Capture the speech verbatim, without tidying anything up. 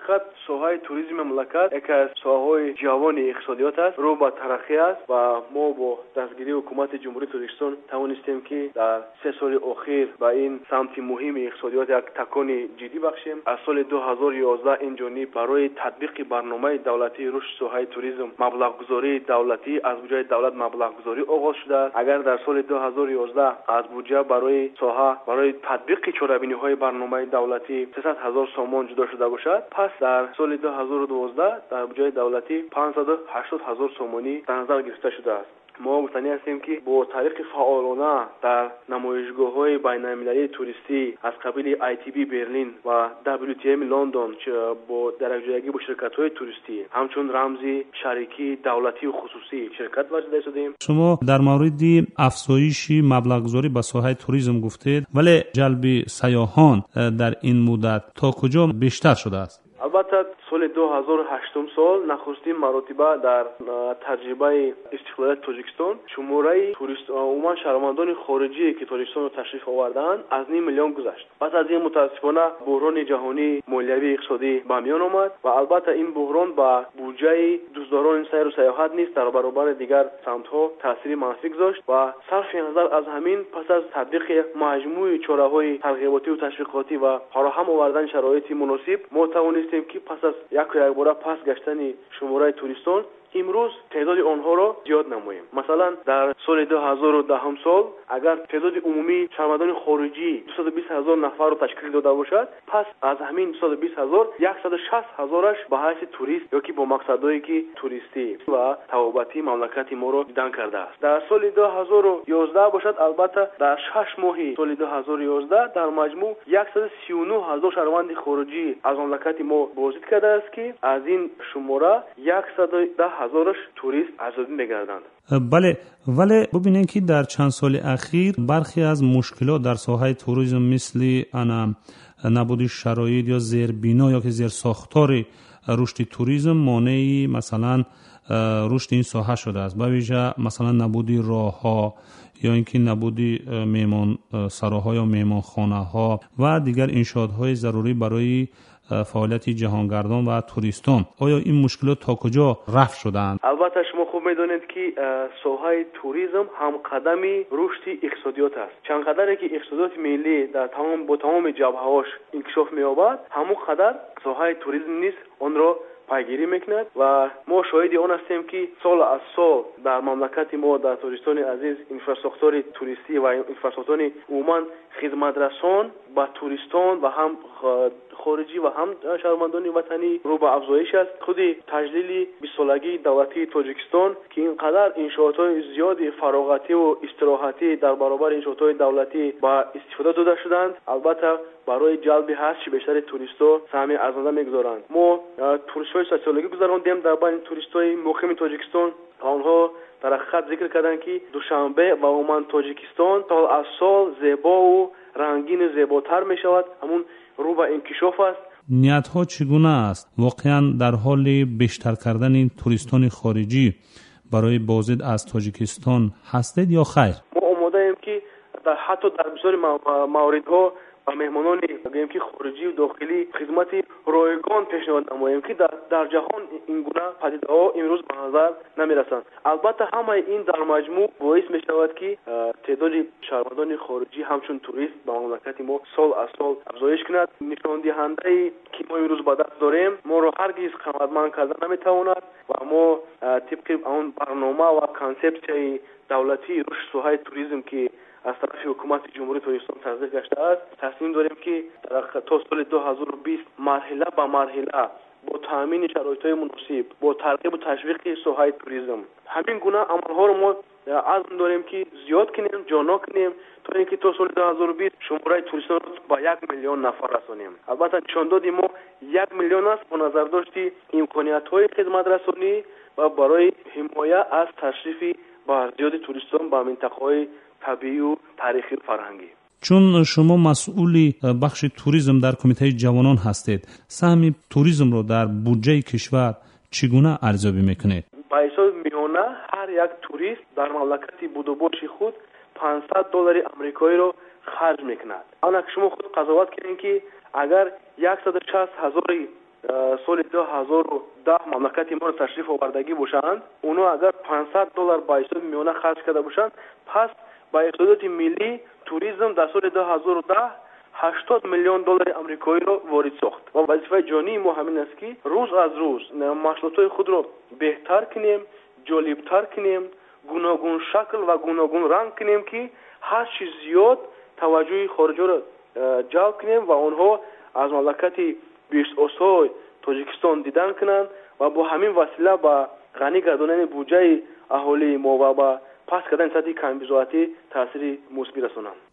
Ҳақиқат, соҳаи туризми мамлакат яке аз соҳаҳои ҷавони иқтисодиёт аст, рӯ ба тараққӣ аст ва мо бо дастгирии ҳукумати Ҷумҳурии Тоҷикистон тавонистем, ки дар се соли охир ба ин самти муҳими иқтисодиёт як такони ҷиддӣ бахшем. Аз соли ду ҳазору ёздаҳ ин ҷониб барои татбиқи барномаи давлатии рушди соҳаи туризм маблағгузории давлатӣ аз буҷаи давлат маблағгузорӣ оғоз шудааст. Агар дар соли ду ҳазору ёздаҳ аз буҷа барои соҳа барои татбиқи чорабиниҳои барномаи давлатӣ сесад ҳазор сомон ҷудо шуда бошад, пас дар соли ду ҳазору дувоздаҳ дар буҷаи давлатӣ панҷсаду ҳаштод ҳазор сомонӣ дар назар гирифта шудааст. Мо гуфтанӣ ҳастем, ки бо тариқи фаъолона дар намоишгоҳҳои байналмилалии туристӣ аз қабили I T B Берлин ва W T M Лондон бо дар якҷоягӣ бо ширкатҳои туристӣ ҳамчун рамзи шарикии давлатию хусусӣ ширкат варзида истодем. Шумо дар мавриди афзоиши маблағгузорӣ ба соҳаи туризм гуфтед, вале ҷалби сайёҳон э, дар ин муддат то куҷо бештар шудааст? Албатта, соли ду ҳазору ҳаштум сол нахустин маротиба дар таҷрибаи истиқлолияти Тоҷикистон шумораи турист, умуман шаҳрвандони хориҷие, ки Тоҷикистонро ташриф овардаанд, аз ним миллион гузашт. Пас аз ин, мутаассифона, буҳрони ҷаҳонии молиявии иқтисодӣ ба миён омад ва албатта ин буҳрон ба буҷаи дӯстдорони сайру сайёҳат низ дар баробари дигар самтҳо таъсири манфӣ гузошт. Ва сарфи назар аз ҳамин, пас аз татбиқи маҷмӯи чораҳои тарғиботиву ташвиқотӣ ва фароҳам овардани шароити муносиб, мо тавонистем, ки пас аз яку якбора паст гаштани шумораи туристон, имрӯз теъдоди онҳоро зиёд намоем. Масалан, дар соли ду ҳазору даҳум сол агар теъдоди умумии шаҳрвандони хориҷӣ дусаду бист ҳазор нафарро ташкил дода бошад, пас аз ҳамин дусаду бист ҳазор яксаду шаст ҳазораш ба ҳайси турист ё ки бо мақсадҳое ки туристӣ ва табобатии мамлакати моро дидан кардааст. Дар соли ду ҳазору ёздаҳ бошад, албатта, дар шаш моҳи соли ду ҳазору ёздаҳ дар маҷмӯъ яксаду сию нӯҳ ҳазор шаҳрванди хориҷӣ аз мамлакати мо боздид кардааст, ки аз ин шумора яксаду даҳ ҳазораш турист арзёбӣ мегарданд. Бале, вале бубинем, ки дар чанд соли ахир бархе аз мушкилот дар соҳаи туризм, мисли ана набуди шароит ё зербино ё ки зерсохтори рушди туризм, монеи, масалан, рушди ин соҳа шудааст. Ба вижа, масалан, набуди роҳҳо ё ин ки набуди меҳмонсароҳо ё меҳмонхонаҳо ва дигар иншоотҳои зарурӣ барои фаъолияти ҷаҳонгардон ва туристон. Оё ин мушкилот то куҷо рафъ шудаанд? Албатта, шумо хуб медонед, ки соҳаи туризм ҳамқадами рушди иқтисодиёт аст. Чанд қадаре ки иқтисодиёти миллӣ дар тамом бо тамоми ҷабҳаҳош инкишоф меёбад, ҳамон қадар соҳаи туризм низ онро пайгирӣ мекунад. Ва мо шоҳиди он ҳастем, ки сол аз сол дар мамлакати мо, дар Тоҷикистони азиз, инфрасохтори туристӣ ва инфрасохтори умуман хизматрасон ба туристон ва ҳам хориҷӣ ва ҳам шаҳрвандони ватанӣ рӯ ба афзоиш аст. Худи таҷлили бистсолагии давлатии Тоҷикистон, ки ин қадар иншоотҳои зиёди фароғативу истироҳатӣ дар баробари иншоотҳои давлатӣ ба истифода дода шуданд, албатта, барои ҷалби ҳарчи бештари туристҳо саҳми арзанда мегузоранд. Мо пурсишҳои социологӣ гузарондем дар байни туристҳои муқими Тоҷикистон ва онҳо дар ҳақиқат зикр карданд, ки Душанбе ва умуман Тоҷикистон сол аз сол зебову рангину зеботар мешавад, ҳамун рӯ ба инкишоф аст. Ниятҳо чӣ гуна аст? Воқеан, дар ҳоли бештар кардани туристони хориҷӣ барои боздид аз Тоҷикистон ҳастед ё хайр? Мо омодаем, ки ҳатто дар бисёри мавридҳо ба меҳмонони, гӯем ки, хориҷию дохилӣ хизмати ройгон пешниҳод намоем, ки дар ҷаҳон ин гуна падидаҳо имрӯз ба назар намерасанд. Албатта, ҳамаи ин дар маҷмӯъ боис мешавад, ки теъдоди шаҳрвандони хориҷӣ ҳамчун турист ба мамлакати мо сол аз сол афзоиш кунад. Нишондиҳандае, ки мо имрӯз ба даст дорем, моро ҳаргиз қаноатманд карда наметавонад ва мо тибқи он барнома ва консепсияи давлатии рушди соҳаи туризм, ки аз тарафи ҳукумати Ҷумҳурии Тоҷикистон тасдиқ гаштааст, тасмим дорем, ки то соли ду ҳазору бист марҳила ба марҳила бо таъмини шароитҳои муносиб, бо тарғибу ташвиқи соҳаи туризм, ҳамин гуна амалҳоро мо азм дорем, ки зиёд кунем, ҷоннок кунем, то ин ки то соли ду ҳазору бист шумораи туристонро ба як миллион нафар расонем. Албатта, нишондоди мо як миллион аст бо назардошти имкониятҳои хизматрасонӣ ва барои ҳимоя аз ташрифи зиёди туристон ба минтақаҳои табиию таърихию фарҳангӣ. Чун шумо масъули бахши туризм дар Кумитаи ҷавонон ҳастед, саҳми туризмро дар буҷаи кишвар чӣ гуна арзёбӣ мекунед? Ба ҳисоби миёна ҳар як турист дар мамлакати будубоши худ панҷсад доллари амрикоиро харҷ мекунад. Анак шумо худ қазоват кунед, ки агар яксаду шаст ҳазори соли ду ҳазору даҳ мамлакати моро ташриф овардагӣ бошанд, онҳо агар панҷсад доллар ба ҳисоби миёна харҷ карда бошанд, пас ба иқтисодиёти миллӣ туризм дар соли ду ҳазору даҳ ҳаштод миллион доллари амрикоиро ворид сохт. Ва вазифаи ҷонии мо ҳамин аст, ки рӯз аз рӯз маҳсулотҳои худро беҳтар кунем, ҷолибтар кунем, гуногуншакл ва гуногунранг кунем, ки ҳар чиз зиёд таваҷҷӯҳи хориҷиро ҷалб кунем ва онҳо аз мамлакати биҳиштосой Тоҷикистон дидан кунанд ва бо ҳамин васила ба ғанӣ гардонидани буҷаи аҳолии мо ва ба паст кардани сатҳи камбизоатӣ таъсири мусбӣ расонанд.